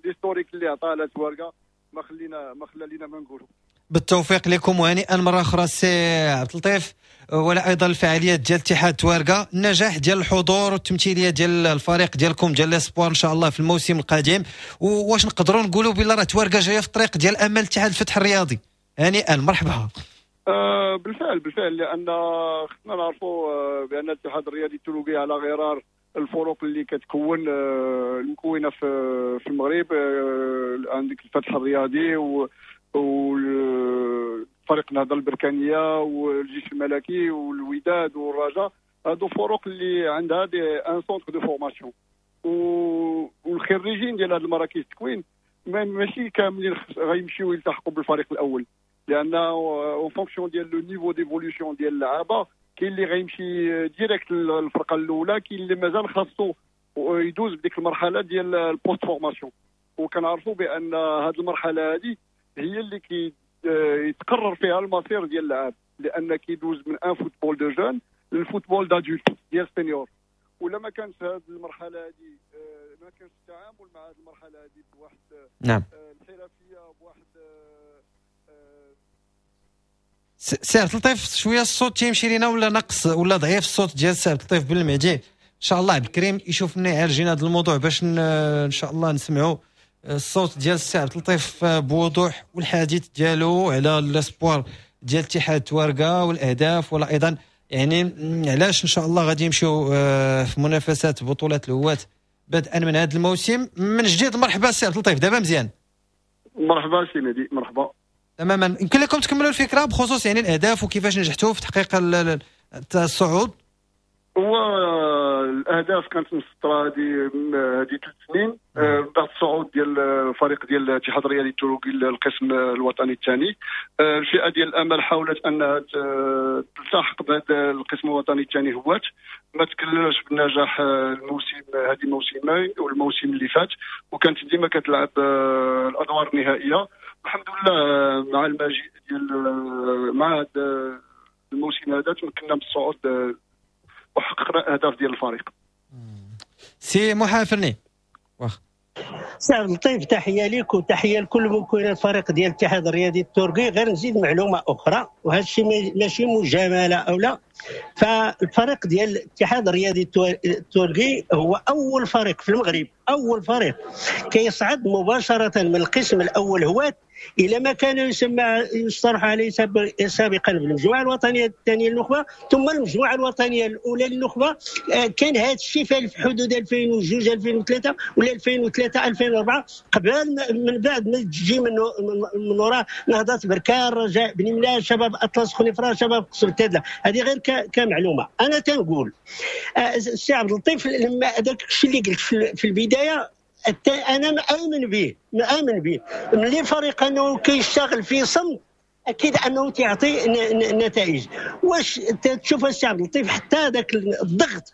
l'historique اللي عطاه على تواركا ما خلى لينا ما نقولوا. بالتوفيق لكم وهنيئا مرة اخرى سي عبد اللطيف، ولا ايضا الفعاليات ديال اتحاد تواركا، النجاح ديال الحضور والتمثيليه ديال الفريق ديالكم ديال l'espoir ان شاء الله في الموسم القادم. واش نقدروا نقولوا بلا راه تواركا جاية في الطريق ديال امل اتحاد الفتح الرياضي؟ هنيئا، مرحبا. بالفعل، لان خصنا نعرفوا بان الاتحاد الرياضي التوروكي على غرار الفرق اللي كتكون المكونة في المغرب، عندك الفتح الرياضي وفريق النهضة البركانيه والجيش الملكي والوداد والرجاء، هادو فرق اللي عندها des un centre de formation، والخريجين ديال هاد المراكز التكوين ماشي كاملين غيمشيو يلتحقوا بالفريق الاول، لان en fonction ديال le niveau d'évolution ديال اللعابه كاين اللي غيمشي direct للفرقة الاولى، كاين اللي مازال خاصو يدوز بديك المرحلة ديال ال post-formation. وكنعرفوا بان هاد المرحلة هادي هي اللي كي يتقرر فيها المصير ديال اللاعب، لان كيدوز من un football de jeunes لل football d'adultes ديال senior. ولا ما كانش هذه المرحلة هذه، ما كانش التعامل مع هذه المرحلة هذه بواحد نعم الحرفية بواحد سي عبد اللطيف شوية الصوت تيمشي لينا ولا نقص ولا ضعيف الصوت ديال سي عبد اللطيف بالمهدي. ان شاء الله عبد الكريم يشوف لنا يعالجنا هذا الموضوع باش ان شاء الله نسمعوا الصوت ديال السي عبد اللطيف بوضوح والحديث ديالو على l'espoir ديال اتحاد تواركا والاهداف، ولا ايضا يعني علاش ان شاء الله غادي يمشيو في منافسات بطولات الهواة بدءا من هذا الموسم من جديد. مرحبا سي عبد اللطيف، دابا مزيان. مرحبا سي مهدي، مرحبا. تماما، يمكن لكم تكملوا الفكرة بخصوص يعني الاهداف وكيفاش نجحتوا في تحقيق الصعود. هو الاهداف كانت مسطرة هذه 3 سنين بعد الصعود ديال الفريق ديال الاتحاد الرياضي التورقي للقسم الوطني الثاني. الفئة ديال الامل حاولت انها تلتحق بهذا القسم الوطني الثاني هوات، ما تكللش بالنجاح الموسم هذه موسمين والموسم اللي فات، وكانت ديما كتلعب الادوار النهائية. الحمد لله مع المجيء ديال مع هذا الموسم هذا تمكنا من الصعود وحققنا اهداف ديال الفريق. سي موحى أفرني، واخ سي عبد اللطيف، تحية لك وتحية لكل مكونات الفريق ديال الاتحاد الرياضي التورقي. غير نزيد معلومة اخرى، وهذا الشيء ماشي مجاملة او لا، فالفريق ديال الاتحاد الرياضي التورقي هو اول فريق في المغرب، اول فريق كيصعد مباشرة من القسم الاول هوات الى ما كان يسمى يصطلح عليه سابقا بالمجموعة الوطنية الثانية للنخبه، ثم المجموعة الوطنية الاولى للنخبه. كان هذا الشيء في حدود 2002 2003 ولا 2003 2004، قبل من بعد ما تجي من وراء نهضة بركان، رجاء بني ملال، شباب اطلس خنيفره، شباب قصر التادله. هذه غير كمعلومه. انا تنقول السي عبد اللطيف، لما هذاك الشيء اللي قلت في البداية انا مآمن به، مآمن به. ملي فريق انه كيشتغل في صمت اكيد انه تعطي نتائج. واش تشوف السي عبد اللطيف حتى هذاك الضغط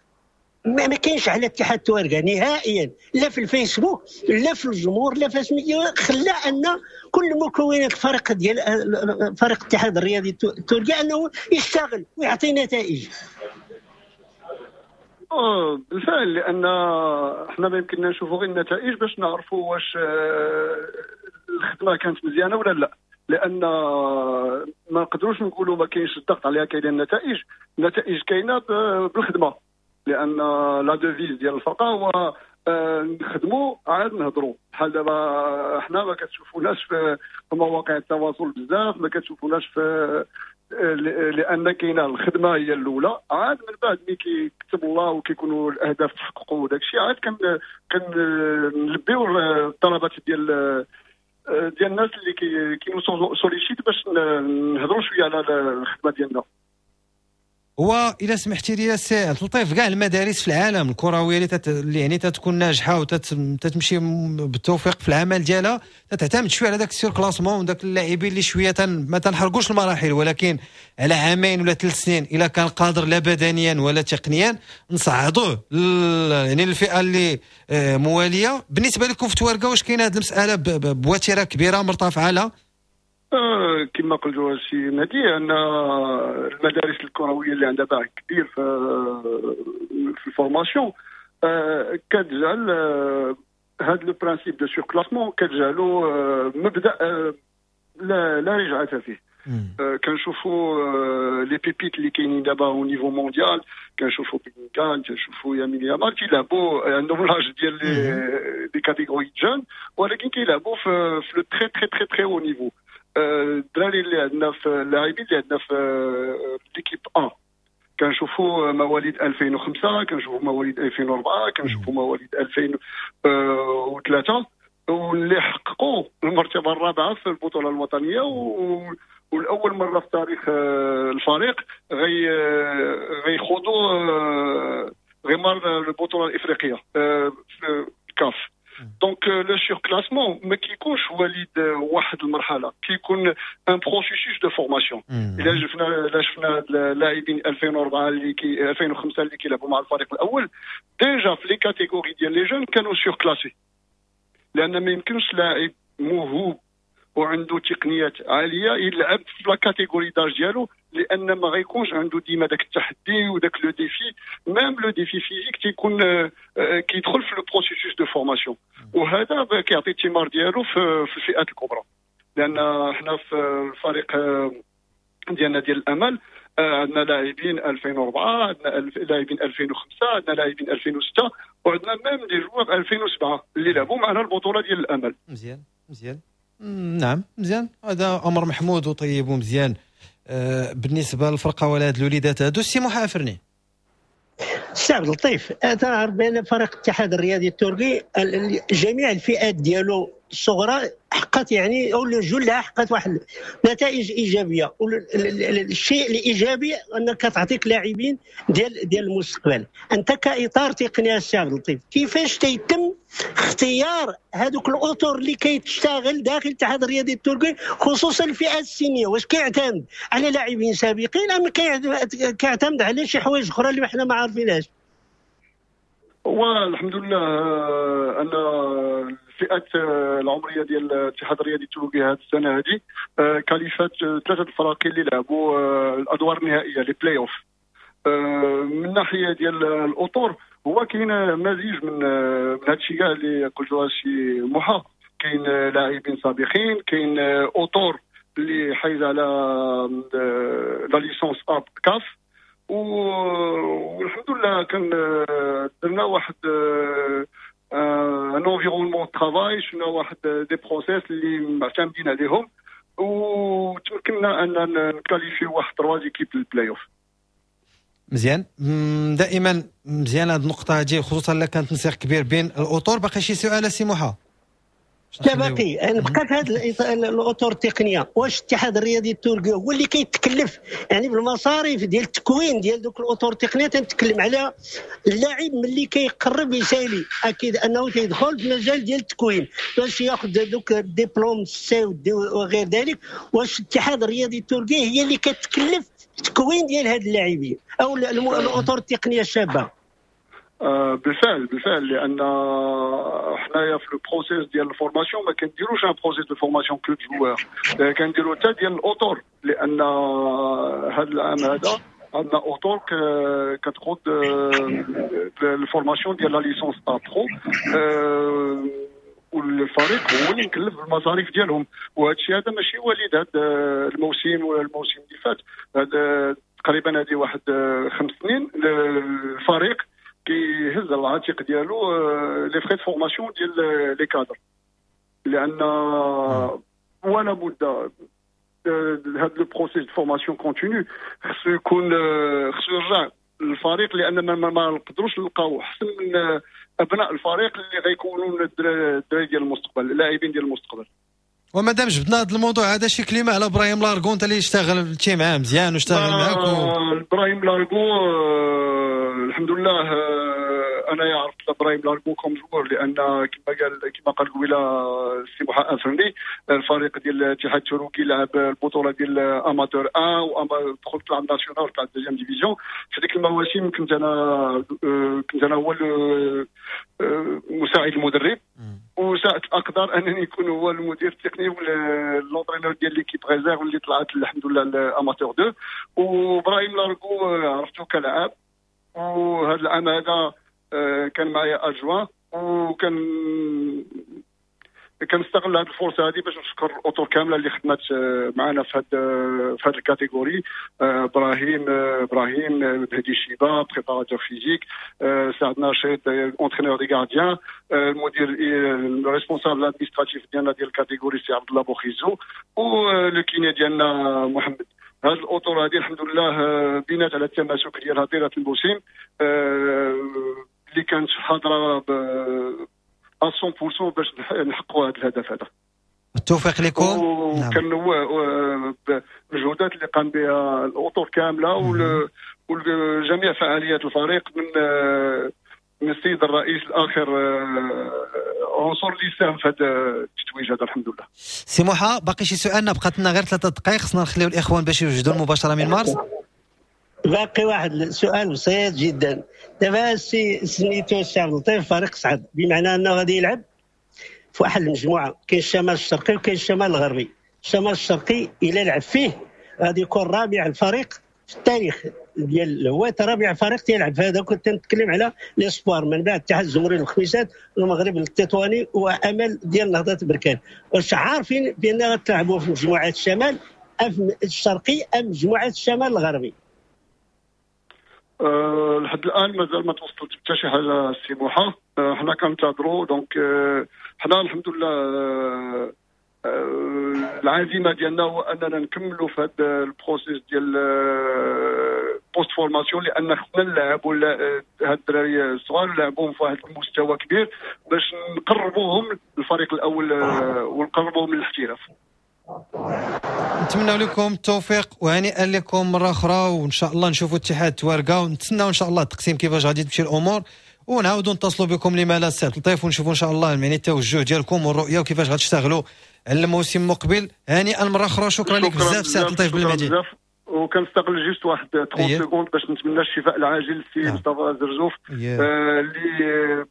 ما كاينش على اتحاد تواركه نهائيا، لا في الفيسبوك لا في الجمهور لا في سميتو، خلى ان كل مكونات الفريق ديال فريق الاتحاد الرياضي التوركي انه يشتغل ويعطي نتائج. بالفعل، لان حنا ما يمكننا نشوفوا غير النتائج باش نعرفوا واش الخدمة كانت مزيانه ولا لا، لان ما نقدروش نقولوا ما كاينش الضغط عليها، كاينه النتائج، النتائج كاينه بالخدمة، لان la devise ديال الفرقة هو نخدموا عاد نهضروا. بحال دابا حنا ما كتشوفوناش في مواقع التواصل بزاف، ما كتشوفوناش في، لان كاينه الخدمة هي الاولى، عاد من بعد ملي كيكتب الله وكيكونوا الاهداف تحققوا وداك الشيء عاد كنلبيو الطلبات ديال الناس اللي كينو sollicitent باش نهضروا شوية على الخدمة ديالنا. هو الا سمحتي لي سي عبد اللطيف، كاع المدارس في العالم الكروية اللي يعني تتكون ناجحة وتتمشي بالتوفيق في العمل ديالها تتعتمد شوية على داك ال surclassement وداك اللاعبين اللي شوية ما تنحرقوش المراحل، ولكن على عامين ولا 3 سنين الا كان قادر لا بدنيا ولا تقنيا نصعدوه يعني الفئة اللي مواليه. بالنسبة لكم في تواركه واش كاينه هذه المسالة بوتيره كبيرة مرتفعة؟ لا كما قلت السي مهدي، ان المدارس الكروية اللي عندها باع كبير في ال formation كتجعل هذا le principe de surclassement كتجعلو مبدا لا رجعه فيه. كنشوفوا les pépites اللي كاينين دابا au niveau mondial، كنشوفوا بيلينغهام، كنشوفوا يمين يامال كيلعبوا عندهم l'âge ديال les catégories jeunes، ولكن كيلعبوا في le très très très très haut niveau. الدراري اللي عندنا في اللاعبين اللي عندنا في l'équipe A كنشوفوا مواليد 2005، كنشوفوا مواليد 2004، كنشوفوا مواليد 2003، واللي حققوا المرتبة الرابعة في البطولة الوطنية، والاول مرة في تاريخ الفريق غيخوضوا غمار البطولة الافريقية في الكاف. donc le surclassement ما كيكونش وليد واحد المرحلة، كيكون un processus de formation. الا شفنا اللاعبين 2004 اللي 2005 اللي كيلعبوا مع الفريق الاول، déjà في les catégories ديال les jeunes كانوا surclassés، لان ما يمكنش لاعب موهوب وعنده تقنيات عالية يلعب في la catégorie d'âge ديالو، لان ما غيكونش عنده ديما داك التحدي وداك le défi، même le défi physique تيكون كيدخل في le processus de formation، وهذا كيعطي الثمار ديالو في الفئات الكبرى. لان حنا في الفريق ديالنا ديال الامل عندنا لاعبين 2004، عندنا لاعبين 2005، عندنا لاعبين 2006، وعندنا même des joueurs 2007 اللي لعبوا معنا البطولة ديال الامل. مزيان مزيان، نعم مزيان، هذا امر محمود وطيب ومزيان. بالنسبة للفرقة ولا هاد الوليدات هادو. السي موحى أفرني، السي عبد اللطيف، تنعرف بان فريق الاتحاد الرياضي التركي جميع الفئات ديالو الصغرى حققت يعني او جلها حققت واحد نتائج ايجابية. الشيء الايجابي انك تعطيك لاعبين ديال المستقبل. انت كاطار تقني السي عبد اللطيف، كيفاش تيتم اختيار هذوك الاطر اللي كيتشتغل داخل الاتحاد الرياضي التركي، خصوصا الفئات السنيه؟ واش كيعتمد على لاعبين سابقين ام كيعتمد على شي حوايج اخرى اللي حنا ما عارفينهاش؟ هو الحمد لله ان الفئات العمرية ديال الاتحاد الرياضي التركي هذه السنة هذه qualifiات ثلاثة الفرق اللي لعبوا الادوار النهائيه، les play-offs. من ناحية ديال الاطر، هو كاين مزيج من هذا الشيء كاع اللي قلتوها سي موحى. كاين لاعبين سابقين، كاين اطر اللي حايز على la licence A CAF، والحمد لله كان درنا واحد un environnement travail، شفنا واحد des process اللي معتمدين عليهم، وتمكنا ان ن qualifier واحد trois équipes لل play-off. مزيان، دائما مزيان هذه النقطة هذه، خصوصا الا كان تنسيق كبير بين الاطر. باقي شي سؤال سي موحى؟ لا، باقي نبقى في هذه الاطر التقنيه. واش الاتحاد الرياضي التركي هو اللي كيتكلف يعني بالمصاريف ديال التكوين ديال دوك الاطر التقنيه؟ تنتكلم على اللاعب ملي كيقرب يسالي، اكيد انه تيدخل في مجال ديال التكوين باش ياخذ دوك ال diplôme C و D وغير ذلك. واش الاتحاد الرياضي التركي هي اللي كتكلف التكوين ديال هاد اللاعبين او الاطر التقنية الشابة؟ بالفعل بالفعل، لان حنايا في ال processus ديال ال formation ما كنديروش un processus de formation que joueurs، كنديرو حتى ديال الاطر، لان هذا العام هذا عندنا اطر كتقود ال formation ديال la licence A pro، والفريق هو اللي مكلف بالمصاريف ديالهم. وهذا الشيء هذا ماشي وليد هذا الموسم ولا الموسم اللي فات، هذا تقريبا هذه واحد 5 سنين الفريق كيهز على العاتق ديالو les frais de formation ديال les cadres، لان ولا بد هذا le processus de formation continue خصو يكون، خصو يرجع للفريق، لان ما نقدروش نلقاو احسن من ابناء الفريق اللي غيكونوا الدراري ديال المستقبل، اللاعبين ديال المستقبل. ومادام جبدنا هذا الموضوع هذا، شي كلمة على ابراهيم لارغون، انت اللي اشتغلتي معاه مزيان واشتغل معاك ابراهيم لارغو، الحمد لله، انا عرفت ابراهيم لارغو comme joueur، لان كما قال قبيلة السي محا افرني، الفريق ديال الاتحاد التركي لعب البطولة ديال amateur 1 ودخل طلع national، طلع deuxième division. في ديك المواسم كنت انا هو مساعد المدرب، وساءت الاقدار انني نكون هو المدير التقني ولا l'entraîneur ديال l'équipe réserve اللي طلعت الحمد لله ال amateur 2. وابراهيم لارغو عرفتو كلاعب، وهذا العام هذا كان معايا adjoint، وكان كنستغل هذه الفرصة هذه باش نشكر الاطر كاملة اللي خدمت معنا في هذه ال catégorie: ابراهيم بهدي شيبا préparateur physique، سعد ناشط entraîneur des gardiens، المدير ال responsable administratif ديالنا ديال ال catégorie سي عبد الله بوخيزو، و le kiné ديالنا محمد. هذه الاطر هذه الحمد لله بنات على التماسك ديالها طيلة الموسم اللي كانت حاضره 100% باش نحققوا هذا الهدف هذا. التوفيق لكم. وكان هو المجهودات اللي قام بها الاطر كاملة وجميع فعاليات الفريق من السيد الرئيس الاخر عنصر اللي ساهم في هذا التتويج هذا الحمد لله. سي موحى، باقي شي سؤال؟ بقات لنا غير 3 دقائق، خصنا نخليو الاخوان باش يوجدوا المباشرة من مارس. باقي واحد السؤال بسيط جدا. دابا السي سميتو السي عبد اللطيف، فريق صعد، بمعنى انه غادي يلعب في واحد المجموعه، كاين الشمال الشرقي وكاين الشمال الغربي. الشمال الشرقي الى لعب فيه غادي يكون رابع الفريق في التاريخ ديال الهواة، رابع فريق تيلعب في هذا. كنت نتكلم على les espoirs، من بعد اتحاد الزمري الخميسات، المغرب التطواني، وامل ديال نهضة بركان. واش عارفين بان غتلعبوا في مجموعة الشمال الشرقي ام مجموعة الشمال الغربي؟ لحد الان مازال ما توصلت حتى شي حاجة السي موحى. حنا كنتظروا، donc حنا الحمد لله العزيمة ديالنا هو اننا نكملوا في هذا ال processus ديال post-formation، لان خصنا نلعبوا هاد الدراري الصغار، نلعبوهم في واحد المستوى كبير باش نقربوهم للفريق الاول ونقربوهم للاحتراف. نتمنى لكم التوفيق وهنيئا لكم مرة اخرى، وان شاء الله نشوفوا اتحاد توارقه، ونتسناو ان شاء الله التقسيم كيفاش غادي تمشي الامور، ونعاودوا نتصلوا بكم لما لا السي عبد اللطيف، ونشوفوا ان شاء الله يعني التوجه ديالكم والرؤية وكيفاش غتشتغلوا على الموسم المقبل. هنيئا مرة اخرى، شكرا لك بزاف سي عبد اللطيف بالمهدي. وكنستغل juste واحد 30 secondes باش نتمنى الشفاء العاجل للسي مصطفى زرزوف اللي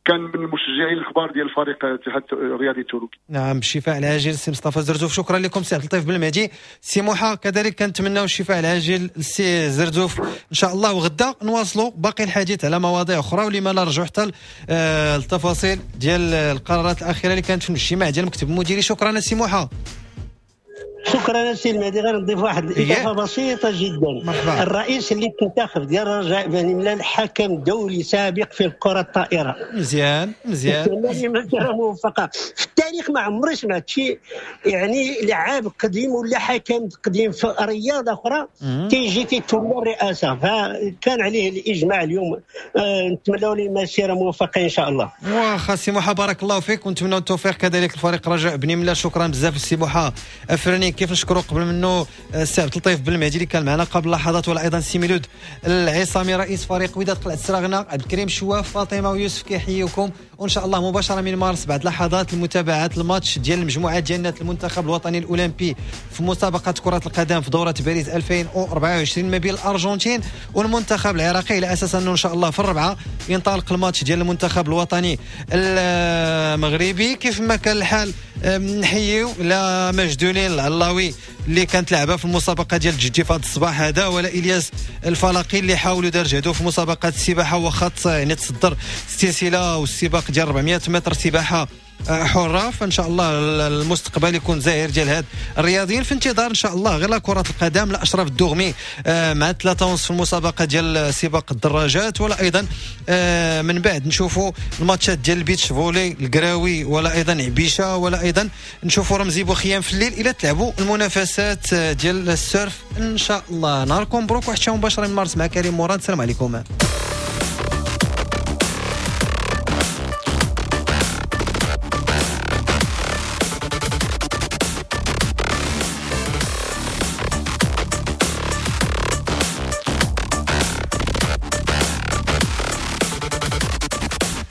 كان من المشجعين الكبار ديال الفريق الاتحاد الرياضي التوروكي. نعم، الشفاء العاجل سي مصطفى زرزوف. شكرا لكم سي عبد اللطيف بالمهدي. سي موحى كذلك كنتمناو الشفاء العاجل للسي زرزوف ان شاء الله، وغدا نواصلوا باقي الحديث على مواضيع اخرى، ولما لا نرجعوا حتى التفاصيل ديال القرارات الاخيرة اللي كانت في الاجتماع ديال المكتب المديري. شكرا سي موحى. شكرا سي المهدي. غير نضيف واحد الاضافة بسيطة جدا. مرحبا. الرئيس اللي تنتخب ديال الرجاء بني ملال حكم دولي سابق في الكره الطائرة. مزيان مزيان، مسيره موفقة في التاريخ. ما عمري سمعت شي يعني لعاب قديم ولا حكم قديم في رياضة اخرى تيجي تيتولى الرئاسة، فكان عليه الاجماع اليوم. نتمنوا له مسيره موفقة ان شاء الله. واخا سي موحى بارك الله فيك، ونتمنوا التوفيق كذلك لفريق رجاء بني ملال. شكرا بزاف سي موحى افرني. كيف نشكروا قبل منه السي عبد اللطيف بالمهدي اللي كان معنا قبل لحظات، ولا ايضا السي ميلود العصامي رئيس فريق وداد قلعه السراغنه، عبد الكريم شواف، فاطمة ويوسف كيحييكم. وان شاء الله مباشرة من مارس بعد لحظات المتابعات الماتش ديال المجموعة ديالنا المنتخب الوطني الاولمبي في مسابقة كره القدم في دوره باريس 2024 ما بين الارجنتين والمنتخب العراقي، على اساس انه ان شاء الله في الربعه ينطلق الماتش ديال المنتخب الوطني المغربي. كيف ما كان الحال نحييو لا مجدولين العلاوي اللي كانت لعبه في المسابقة ديال الجدي في هذا الصباح هذا، ولا الياس الفلاقي اللي حاولوا دار جهدو في مسابقة السباحة واخا يعني تصدر السلسلة والسباق ديال 400 متر سباحة حره. فان شاء الله المستقبل يكون زاهر ديال هاد الرياضيين. في انتظار ان شاء الله غير لا كره القدم، لا اشرف الدغمي مع 3:30 في المسابقة ديال سباق الدراجات، ولا ايضا من بعد نشوفوا الماتشات ديال ال beach volley الكراوي، ولا ايضا عبيشه، ولا ايضا نشوفوا رمزي بوخيام في الليل الى تلعبوا المنافسات ديال ال surf ان شاء الله. نهاركم مبروك، وحتى مباشرة من مارس مع كريم مراد. السلام عليكم.